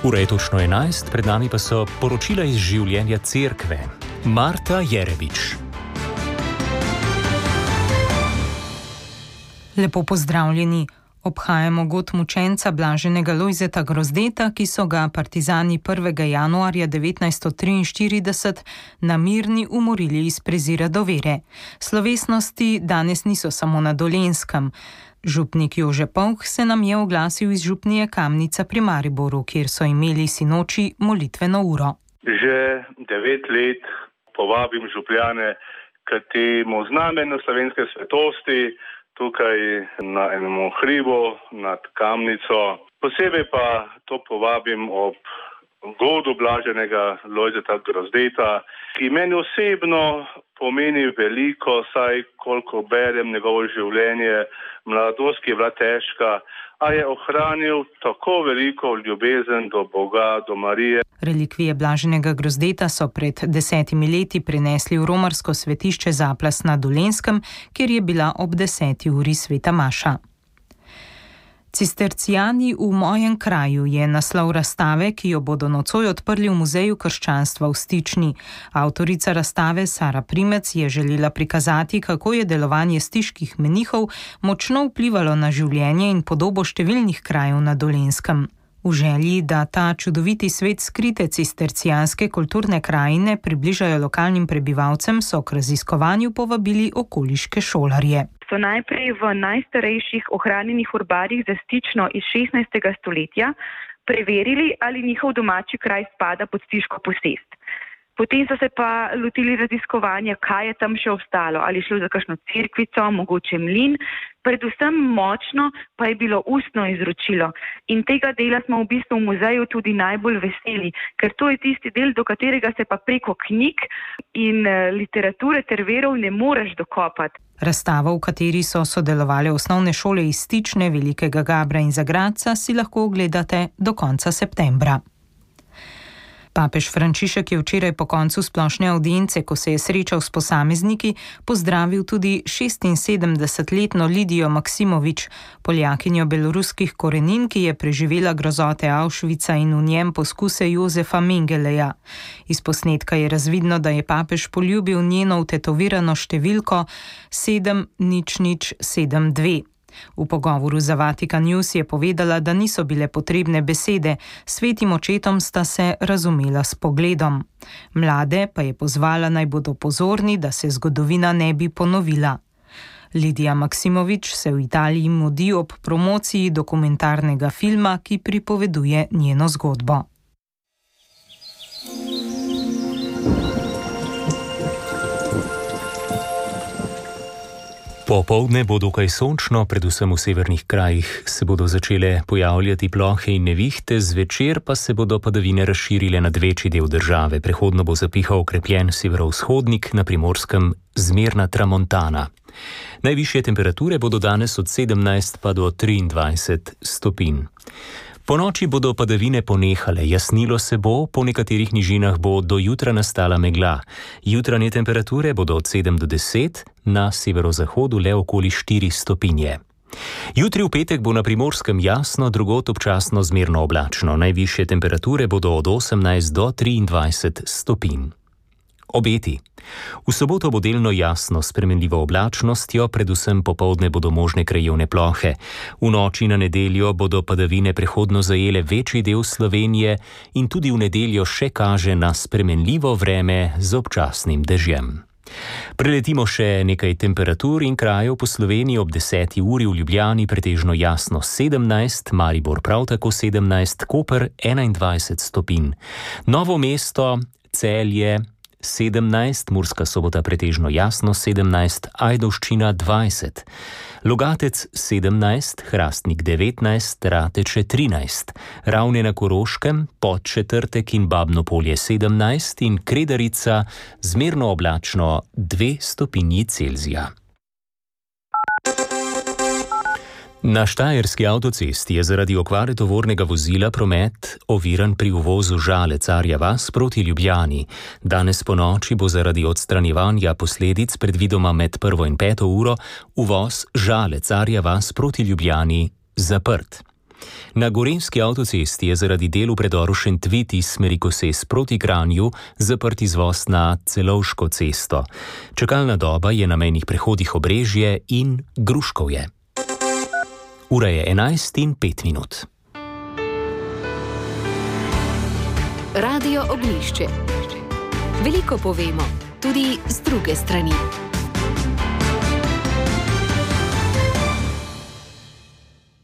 Ura je točno 11, pred nami pa so poročila iz življenja cerkve. Marta Jerebič. Lepo pozdravljeni. Obhajamo god mučenca blaženega Lojzeta Grozdeta, ki so ga partizani 1. januarja 1943 na Mirni umorili iz prezira do vere. Slovesnosti danes niso samo na Dolenjskem. Župnik Jože Povh se nam je oglasil iz župnije Kamnica pri Mariboru, kjer so imeli sinoči molitveno uro. Že 9 let povabim župljane k temu znamenju slovenske svetosti, tukaj na enem hribu nad Kamnico. Posebej pa to povabim ob godu blaženega Lojzeta Grozdeta, ki meni osebno pomeni veliko, saj koliko berem njegovo življenje, mladost, ki je bila težka, a je ohranil tako veliko ljubezen do Boga, do Marije. Relikvije blaženega Grozdeta so pred 10 leti prenesli v romarsko svetišče Zaplas na Dolenjskem, kjer je bila ob 10. uri sveta maša. Cistercijani v mojem kraju je naslov razstave, ki jo bodo nocoj odprli v Muzeju krščanstva v Stični. Avtorica razstave Sara Primec je želela prikazati, kako je delovanje stiških menihov močno vplivalo na življenje in podobo številnih krajev na Dolenjskem. V želji, da ta čudoviti svet skrite cistercijanske kulturne krajine približajo lokalnim prebivalcem, so k raziskovanju povabili okoliške šolarje. So najprej v najstarejših ohranjenih urbarjih za Stično iz 16. stoletja preverili, ali njihov domači kraj spada pod stiško posest. Potem so se pa lotili raziskovanja, kaj je tam še ostalo, ali šlo za kakšno cerkvico, mogoče mlin. Predvsem močno pa je bilo ustno izročilo. In tega dela smo v bistvu v muzeju tudi najbolj veseli, ker to je tisti del, do katerega se pa preko knjig in literature ter verov ne moreš dokopati. Razstavo, v kateri so sodelovali osnovne šole iz Stične, Velikega Gabra in Zagradca, si lahko ogledate do konca septembra. Papež Frančišek je včeraj po koncu splošne avdience, ko se je srečal s posamezniki, pozdravil tudi 76-letno Lidijo Maksimovič, Poljakinjo beloruskih korenin, ki je preživela grozote Auschwitza in v njem poskuse Jozefa Mengeleja. Iz posnetka je razvidno, da je papež poljubil njeno vtetovirano številko 70072. V pogovoru za Vatikan News je povedala, da niso bile potrebne besede, svetim očetom sta se razumela s pogledom. Mlade pa je pozvala, naj bodo pozorni, da se zgodovina ne bi ponovila. Lidija Maksimovič se v Italiji mudi ob promociji dokumentarnega filma, ki pripoveduje njeno zgodbo. Popoldne bo dokaj sončno, predvsem v severnih krajih se bodo začele pojavljati plohe in nevihte, zvečer pa se bodo padavine razširile nad večji del države. Prehodno bo zapihal okrepljen severovzhodnik, na Primorskem zmerna tramontana. Najvišje temperature bodo danes od 17 pa do 23 stopinj. Po noči bodo padavine ponehale, jasnilo se bo, po nekaterih nižinah bo do jutra nastala megla. Jutranje temperature bodo od 7 do 10, na severozahodu le okoli 4 stopinje. Jutri v petek bo na Primorskem jasno, drugod občasno zmerno oblačno. Najvišje temperature bodo od 18 do 23 stopinj. Obeti. V soboto bo delno jasno s spremenljivo oblačnostjo, predvsem popoldne bodo možne krajevne plohe. V noči na nedeljo bodo padavine prehodno zajele večji del Slovenije in tudi v nedeljo še kaže na spremenljivo vreme z občasnim dežjem. Preletimo še nekaj temperatur in krajev po Sloveniji. Ob 10. uri v Ljubljani pretežno jasno 17, Maribor prav tako 17, Koper 21 stopinj. Novo mesto, Celje 17, Murska Sobota pretežno jasno 17, Ajdovščina 20, Logatec 17, Hrastnik 19, Rateče 13, Ravne na Koroškem, Podčetrtek in Babno Polje 17 in Kredarica zmerno oblačno 2 stopinji Celzija. Na štajerski avtocesti je zaradi okvare tovornega vozila promet oviran pri uvozu Žale-Carja vas proti Ljubljani. Danes ponoči bo zaradi odstranjevanja posledic predvidoma med 1. in 5. uro uvoz Žale-Carja vas proti Ljubljani zaprt. Na Gorenjski avtocesti je zaradi del v predoru Šentvid iz smeri Koses proti Kranju zaprt izvoz na Celovško cesto. Čakalna doba je na mejnih prehodih Obrežje in Gruškovje. Ura je 11:05. Radio Oglišče. Veliko povemo, tudi z druge strani.